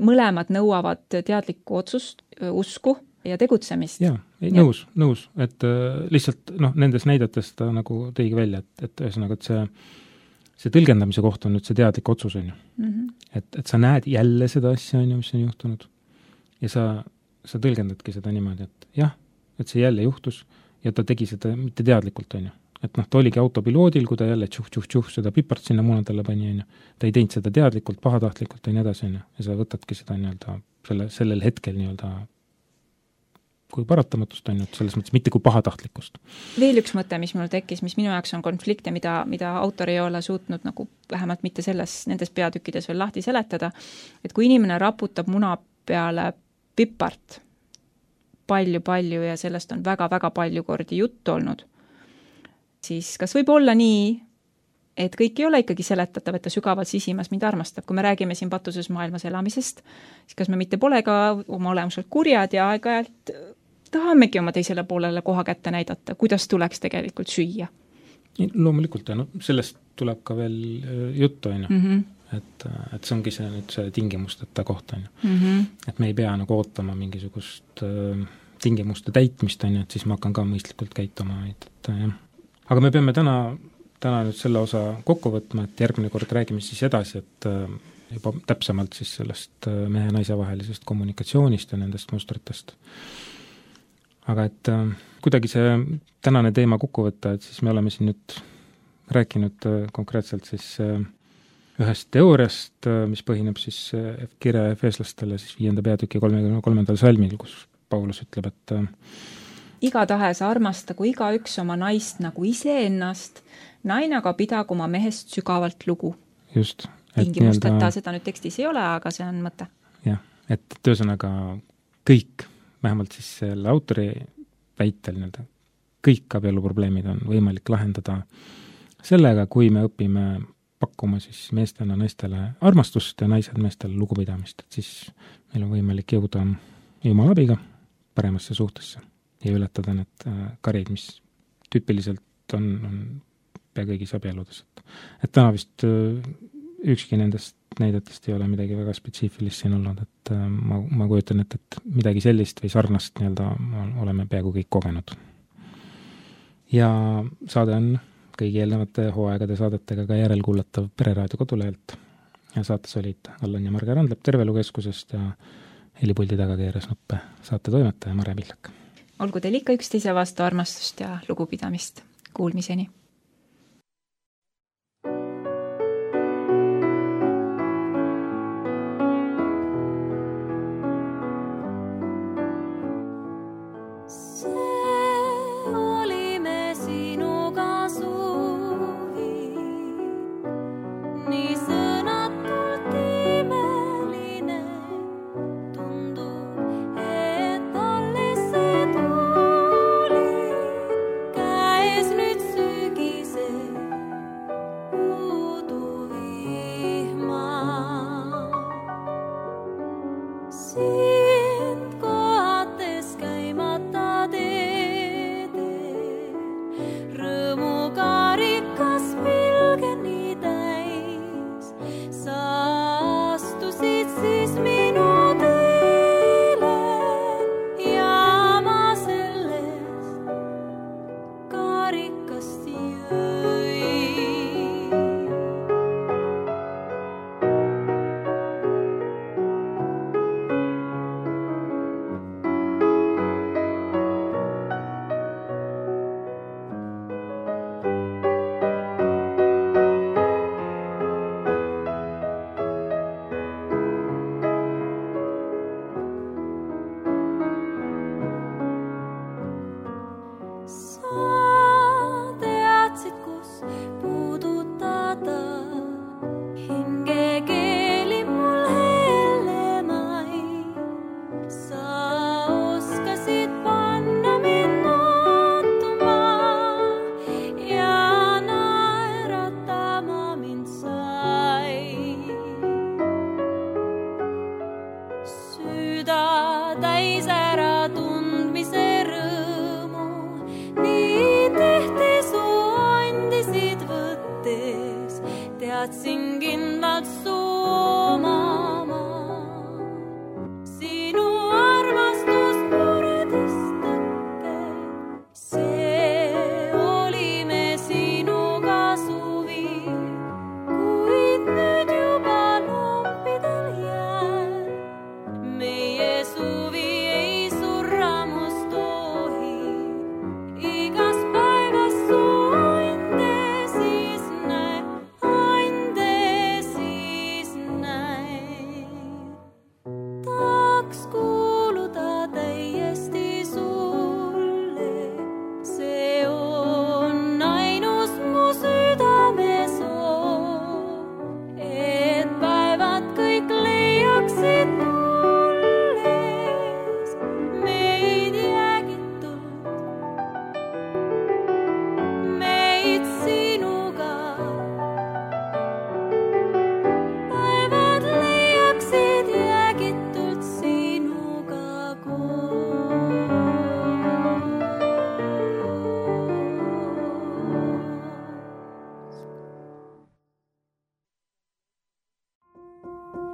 Mõlemad nõuavad teadlikku otsust, usku ja tegutsemist. Jaa, nõus, et lihtsalt nendes näidetes ta nagu tõigi välja, et ühesõnaga, et see tõlgendamise koht on nüüd see teadlik otsus, on ju. Et sa näed jälle seda asja, on ju, mis on juhtunud ja sa tõlgendadki seda niimoodi, et jah, et see jälle juhtus ja ta tegi seda mitte teadlikult, on ju. Et ta oligi autopiloodil, kui ta jälle tšuh, seda pipart sinna munadele pani, on ju. Ta ei teinud seda teadlikult, pahatahtlikult ja nii edasi, on ju. Ja sa võtadki seda nii-öelda sellel hetkel nii-öelda kui paratamatust on nüüd selles mõttes, mitte kui pahatahtlikkust. Veel üks mõte, mis mul tekkis, mis minu jaoks on konflikte, mida autor ei ole suutnud nagu vähemalt mitte nendes peatükkides veel lahti seletada, et kui inimene raputab muna peale pipart palju ja sellest on väga-väga palju kordi juttu olnud, siis kas võib olla nii, et kõik ei ole ikkagi seletatav, et ta sügavalt sisimas mind armastab. Kui me räägime siin patuses maailmas elamisest, siis kas me mitte pole ka oma olemuselt kurjad ja aeg-ajalt tahamegi oma teisele poolele koha kätte näidata, kuidas tuleks tegelikult süüa. Loomulikult, ja sellest tuleb ka veel juttu, on ju. Et see ongi see, nüüd see tingimusteta koht, on ju. Et me ei pea nagu ootama mingisugust tingimuste täitmist, on ju, et siis ma hakkan ka mõistlikult käituma. Aga me peame täna nüüd selle osa kokku võtma, et järgmine kord räägime siis edasi, et juba täpsemalt siis sellest mehe ja naise vahelisest kommunikatsioonist ja nendest mustritest. Aga et kuidagi see tänane teema kokku võtta, et siis me oleme siin nüüd rääkinud konkreetselt siis ühest teooriast, mis põhineb siis kirja Efeslastele siis 5. peatüki 33. salmil, kus Paulus ütleb, et igatahes armastagu igaüks oma naist nagu iseennast, naine aga pidagu oma mehest sügavalt lugu. Just. Tingimusteta seda nüüd tekstis ei ole, aga see on mõte. Jah, et töösõnaga kõik, vähemalt siis selle autori väitel kõik abieluprobleemid on võimalik lahendada sellega, kui me õpime pakkuma siis meestena naistele armastust ja naised meestele lugupidamist, et siis meil on võimalik jõuda Jumala abiga paremasse suhtesse ja ületada need karid, mis tüüpiliselt on pea kõigis abieludes. Et täna vist ükski nendest näidetest ei ole midagi väga spetsiifilist siin olnud, et ma kujutan, et midagi sellist või sarnast oleme peaaegu kõik kogenud. Ja saade on kõigi eelnevate hooaegade saadetega ka järelkuulatav Pereraadio kodulehelt ja saates olid Allan ja Marge Randlep Tervelukeskusest ja helipuldi taga keeras nuppe saate toimetaja Mare Pillak. Olgu teil ikka üksteise vastu armastust ja lugupidamist. Kuulmiseni! Käes nyt syke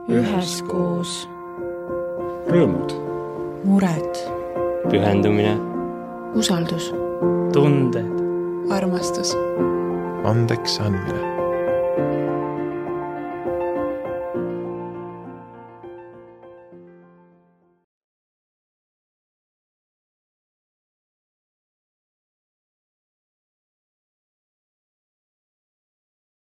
üheskoos. Rõõmud. Mured. Pühendumine. Usaldus. Tunded. Armastus. Andeks andmine.